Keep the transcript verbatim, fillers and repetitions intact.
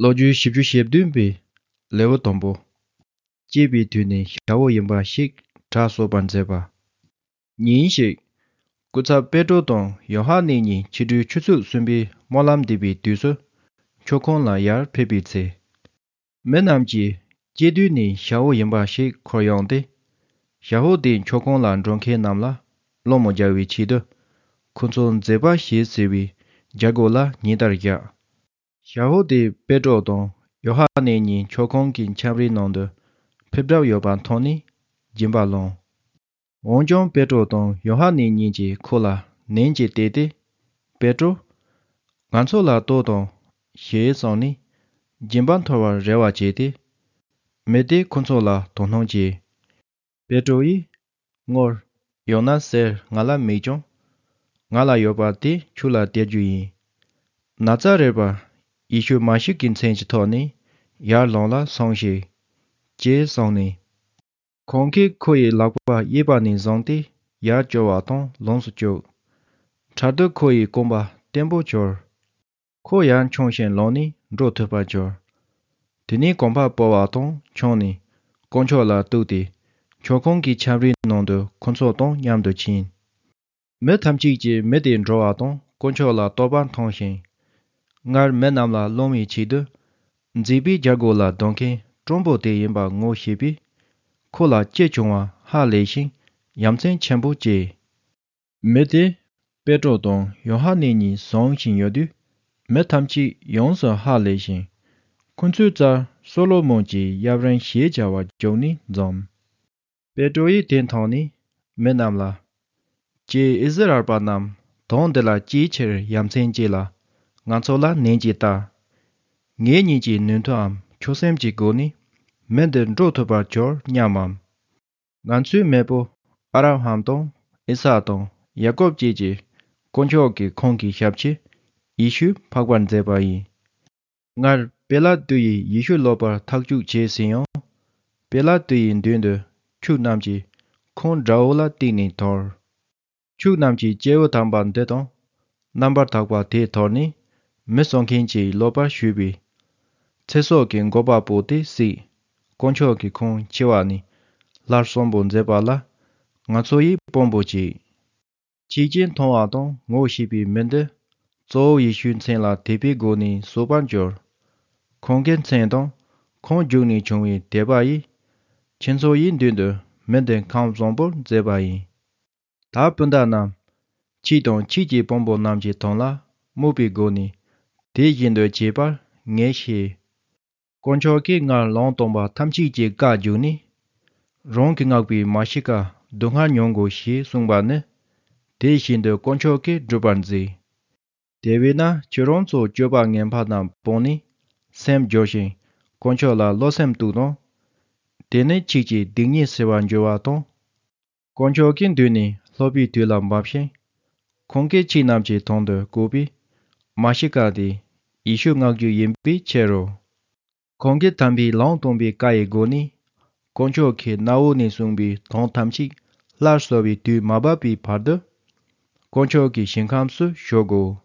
ལོ་རྒྱུས་བཞི་བཅུ་ཞེ་བདུན་པའི་ལེའུ་དང་པོ། སྐྱེས་པའི་དུས་ནས་ཞ་བོ་ཡིན་པ་ཞིག་གྲྭ་གསོ་བར་མཛད་པ། ཉིན་ཞིག་སྐུ་ཚབ་པེ་ཏྲོ་དང་ཡོ་ཧ་ནན་གཉིས་ཕྱི་དྲོའི་ཆུ་ཚོད་གསུམ་པའི་སྨོན་ལམ་འདེབས་པའི་དུས་སུ། མཆོད་ཁང་ལ་ཡར་ཕེབས་པའི་ཚེ། མི་རྣམས་ཀྱིས་སྐྱེས་དུས་ནས་ཞ་བོ་ཡིན་པ་ཞིག་འཁོར་ཡོང་སྟེ། ཞ་བོ་དེ་མཆོད་ཁང་ལ་འགྲོ་མཁན་རྣམས་ལ་སློང་མོ་རྒྱག་པའི་ཆེད་དུ། ཁོ་ཚོ་མཛེས་པ་ཞེས་ཟེར་བའི་རྒྱ་སྒོ་ལ་ཉིན་ལྟར་བཞག་ཞ་བོ་དེ་པེ་ཏྲོ་དང་ཡོ་ཧ་ནན་གཉིས་མཆོད་ཁང་གི་ཁྱམས་རའི་ནང་དུ་ཕེབས་གྲབས་ཡོད་པ་མཐོང་ནས་སྦྱིན་པ་བླངས། འོན་ཀྱང་པེ་ཏྲོ་དང་ཡོ་ཧ་ནན་གཉིས་ཀྱིས་ཁོ་ལ་ནན་གྱིས་བལྟས་ཏེ། པེ་ཏྲོ། ང་ཚོ་ལ་ལྟོས་དང་། ཞེས་གསུངས་ནས། སྦྱིན་པ་འཐོར་བར་རེ་བ་བྱས་ཏེ། མི་དེས་ཁོ་ཚོ་ལ་དོ་སྣང་བྱས། པེ་ཏྲོ་ཡིས། དངུལ། ཡང་ན་གསེར་ང་ལ་མེད་ཀྱང་། ང་ལ་ཡོད་པ་དེ་ཁྱོད་ལ་སྟེར་རྒྱུ་ཡིན། ན་ཚ་རེད་པ། ཡེ་ཤུ་མ་ཤི་ཀའི་མཚན་གྱི་ཐོག་ནས་ཡར་ལངས་ལ་སོང་ཞིག་ཅེས་གསུངས་ནས། ཁོང་གིས་ཁོ་ཡི་ལག་པ་གཡས་པ་ནས་བཟུང་སྟེ་ཡར་བསྐྱོར་བ་དང་ལོངས་སུ་སྤྱོད། འཕྲལ་དུ་ཁོ་ཡི་རྐང་པ་བརྟན་པོ་གྱུར། ཁོ་ཡར་མཆོང་ཞིང་ལངས་ནས་འགྲོ་ཐུབ་པར་གྱུར། དེ་ནས་གོམ་པ་སྤོ་བ་དང་མཆོངས་ནས་དཀོན་མཆོག་ལ་གཏུགས་ཏེ། མཆོད་ཁང་གི་ཁྱམས་རའི་ནང་དུ་ཁོ་ཚོ་དང་མཉམ་དུ་ཕྱིན། མི་ཐམས་ཅད་ཀྱིས་མི་དེ་འགྲོ་བ་དང་དཀོན་མཆོག་ལ་བསྟོད་པ་འཐེན་ཞིང་། སྔར་མི་རྣམས་ལ་སློང་བའི་ཆེད་དུ། མཛེས་པའི་རྒྱ་སྒོ་ལ་སྡོད་མཁན་སྤྲང་པོ་དེ་ཡིན་པ་ངོ་ཤེས་པས། ཁོ་ལ་ཅི་བྱུང་བ་ཧ་ལས་ཤིང་ཡ་མཚན་ཆེན་པོ་སྐྱེས། མི་དེས་པེ་ཏྲོ་དང་ཡོ་ཧ་ནན་གཉིས་བཟུང་བཞིན་ཡོད་དུས། མི་ཐམས་ཅད་ཡོངས་སུ་ཧ་ལས་ཤིང་། ཁོ་ཚོའི་རྩར་སོ་ལོ་མོན་གྱི་ཡབ་རིང་ཞེས་བྱ་བ་བརྒྱུགས་ནས་འཛོམས། པེ་ཏྲོ་ཡིས་དེ་མཐོང་ནས་མི་རྣམས་ལ། ཀྱེ་ཨིསི་རཱཨེལ་པ་རྣམས། དོན་འདི་ལ་ཅིའི་ཕྱིར་ཡ་མཚན་སྐྱེས་ལ། ང་ཚོ་ལ་ནན་གྱིས་ལྟ། ངེད་གཉིས་ཀྱིས་ནུས་མཐུའམ་ཆོད་སེམས་ཀྱི་སྒོ་ནས་མི་འདི་འགྲོ་ཐུབ་པར་གྱུར་སྙམ་མམ། ང་ཚོའི་མེས་པོ་ཨབ་ར་ཧམ་དང་ཨི་སཱག་དང་ཡ་ཀོབ་བཅས་ཀྱི་དཀོན་མཆོག་གིས་ཁོང་གི་ཞབས་ཕྱི་ཡེ་ཤུ་འཕགས་པར་མཛད་པ་ཡིན། སྔར་པེ་ལ་ཏུ་ཡིས་ཡེ་ཤུ་སློབ་པར་ཐག་གཅོད་བྱས་ཟིན་ཡང་། པེ་ལ་ཏུ་ཡི་མདུན་དུ་ཕྱུགས་རྣམས་ཀྱིས་ཁོང་དགྲ་བོ་ལ་གཏུགས་ནས་དོར། ཕྱུགས་རྣམས་ཀྱིས་སྐྱེས་བུ་དམ་པ་འདི་དང་རྣམ་པར་དག་པ་དེ་དོར་ནས་མི་གསོད་མཁན་གྱི་སློབ་པར་ཞུས་པས། ཚེ་སྲོག་གི་འགོག་པ་པོ་དེ་བསད། དཀོན་མཆོག་གིས་ཁོང་འཆི་བ་ནས་སླར་གསོན་པོ་མཛད་པ་ལ་ང་ཚོ་ཡིས་དཔང་པོ་བྱེད། ཆོས་ཀྱི་མཐོང་བ་དང་ངོ་ཤེས་པའི་མི་འདི་གཙོ་བོ་ཡེ་ཤུའི་མཚན་ལ་དད་པའི་སྒོ་ནས་གསོད་པར་འགྱུར། ཁོང་གི་མཚན་དང་ཁོང་བརྒྱུད་ནས་བྱུང་བའི་དད་པ་ཡིས་ཁྱེད་ཚོ་ཡི་མདུན་དུ་མི་འདི་ཁམས་བཟང་པོར་མཛད་པ་ཡིན། ད་སྤུན་ཟླ་རྣམས། ཁྱེད་དང་ཁྱེད་ཀྱི་དཔོན་པོ་རྣམས་ཀྱི་དོན་ལ་དམིགས་པའི་སྒོ་ནས་དེ་བཞིན་དུ་བྱེད་པར་ངས་ཤེས། དཀོན་མཆོག་གིས་སྔར་ལུང་སྟོན་པ་ཐམས་ཅད་ཀྱི་བཀའ་བརྒྱུད་ནས། རང་གིས་མངགས་པའི་མ་ཤི་ཀ་སྡུག་བསྔལ་མྱོང་དགོས་ཞེས་གསུངས་པ་ནི། དེ་བཞིན་དུ་དཀོན་མཆོག་གིས་བསྒྲུབ་པར་མཛད། དེ་བས་ན་ཁྱེད་རང་ཚོ་སྤྱོད་པ་ངན་པ་རྣམས་སྤོང་ནས་སེམས་སྦྱོར་ཞིང་དཀོན་མཆོག་ལ་བློ་སེམས་གཏུགས་དང་། དེ་ནི་ཁྱེད་ཀྱི་སྡིག་ཉེས་སེལ་བར་འགྱུར་བ་དང་། དཀོན་མཆོག་གི་མདུན་ནས་སློབ་པའི་དུས་ལ་འབབ་ཤིང་། ཁོང་གིས་ཁྱེད་རྣམས་ཀྱི་དོན་དུ་བསྐོས་པའི་མ་ཤི་ཀ་དེ་ཡེ་ཤུ་མངགས་རྒྱུ་ཡིན་པའི་ཕྱིར་རོ། ཁོང་གིས་དམ་པའི་ལུང་སྟོན་པའི་བཀའ་ཡི་སྒོ་ནས་དཀོན་མཆོག་གི་གནའ་བོ་ནས་གསུངས་པའི་དོན་ཐམས་ཅད་སླར་གསོ་བའི་དུས་མ་བབས་པའི་བར་དུ། དཀོན་མཆོག་གི་ཞིང་ཁམས་སུ་བཞུགས་དགོས།